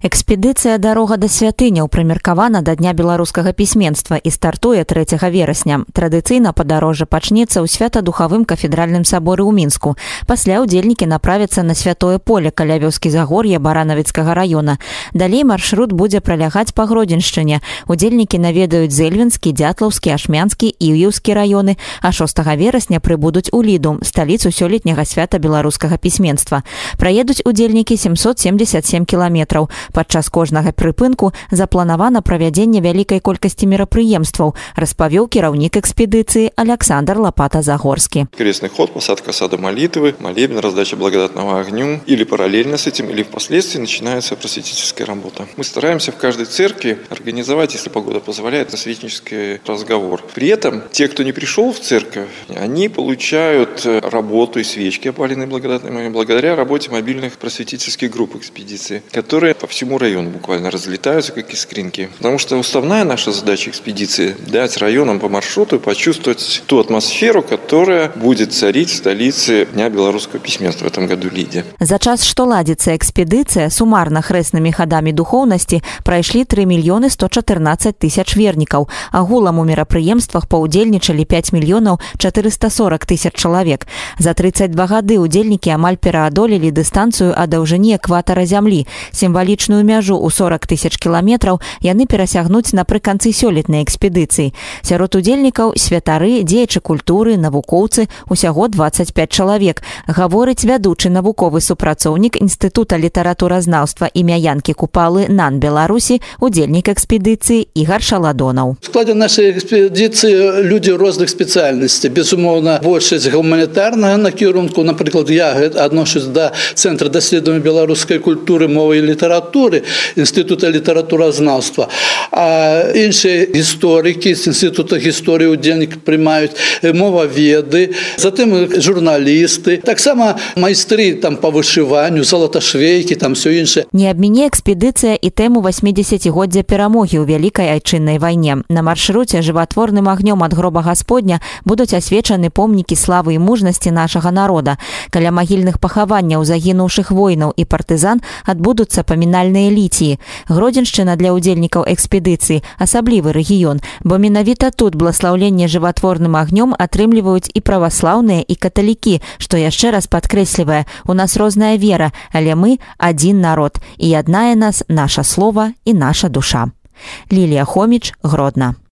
Экспедыцыя «Дарога да святыняў» прымеркавана да Дня беларускага пісьменства і стартуе 3 верасня. Традыцыйна падарожжа пачнецца ў свята-духавым кафедральным саборы ў Мінску. Пасля ўдзельнікі направяцца на святое поле каля вёскі Загор'я Баранавіцкага района. Далей маршрут будзе пралягаць па Гродзеншчыне. Удзельнікі наведаюць Зэльвенскі, Дятлаўскі, Ашмянскі і Іўеўскі районы, а 6 верасня прыбудуць у Ліду, сталіцу сёлетняга свята беларускага пісьменства. Праедуць удзельнікі 777 кіламетраў. Падчас кожнага прыпынку запланавана правядзенне вялікай колькасці мерапрыемстваў, распавёў кіраўнік экспедыцыі Александр Лопата-Загорскі. Крестный ход, посадка сада молитвы, молебен, раздача благодатного огню. Или параллельно с этим, или впоследствии начинается просветительская работа. Мы стараемся в каждой церкви организовать, если погода позволяет, просветнический разговор. При этом те, кто не пришел в церковь, они получают работу и свечки, опаленные благодатным огнем, благодаря работе мобильных просветительских групп экспедиции, которые по всему району буквально разлетаются, как искринки. Потому что уставная наша задача экспедиции – дать районам по маршруту почувствовать ту атмосферу, которая будет царить в столице Дня белорусского письменства в этом году Лиде. За час, што ладзіцца экспедыцыя, сумарна хрэснымі хадамі духоўнасці прайшлі 3 мільёны 114 тысяч вернікаў. Агулам у мерапрыемствах паўдзельнічалі 5 мільёнаў 440 тысяч чалавек. За 32 гады удзельнікі амаль пераадолелі дыстанцыю ад даўжыні экватара зямлі. Сімвалічную мяжу ў 40 тысяч кіламетраў яны перасягнуць напрыканцы сёлетнай экспедыцыі. Сярод удзельнікаў святары, дзеячы культуры, навукоўцы, усяго 25 чалавек. Гаворыць вядучы навуковы супрацоўнік Інстытута літаратуразнаўства імя Янкі Купалы НАН Беларусі, удзельнік экспедыцыі Ігар Шаладонаў. В складе нашей экспедиции люди разных специальностей. Безумовно, большасць гуманітарнага накірунку. Наприклад, я адношусь до Центра даследавання беларускай культуры, мовы і літаратуры Інститута літаратуразнаўства. А іншыя гісторыкі з Інститута гісторыі удзельнік прымаюць, моваведы, затым журналісты, таксама майстры там по вышыванню, залаташвейкі, там все іншае. Не абміне экспедыцыя і тэму 80-годдзя перамогі ў Вялікай айчыннай вайне. На маршруце жыватворным агнём ад гроба Гасподня будуць асвечаны помнікі славы і мужнасці нашага народа. Каля магільных пахаванняў загінуўшых воінаў і партызан адбудуцца памінальныя ліціі. Гродзеншчына для удзельнікаў экспедыцыі асаблівы рэгіён, бо менавіта тут бласлаўленне жыватворным агнём атрымліваюць і праваслаўныя, і каталікі, што яшчэ раз падкрэслівае, у нас розная вера, але мы адзін народ, і яднае нас наша слова і наша душа. Лілія Хоміч, Гродна.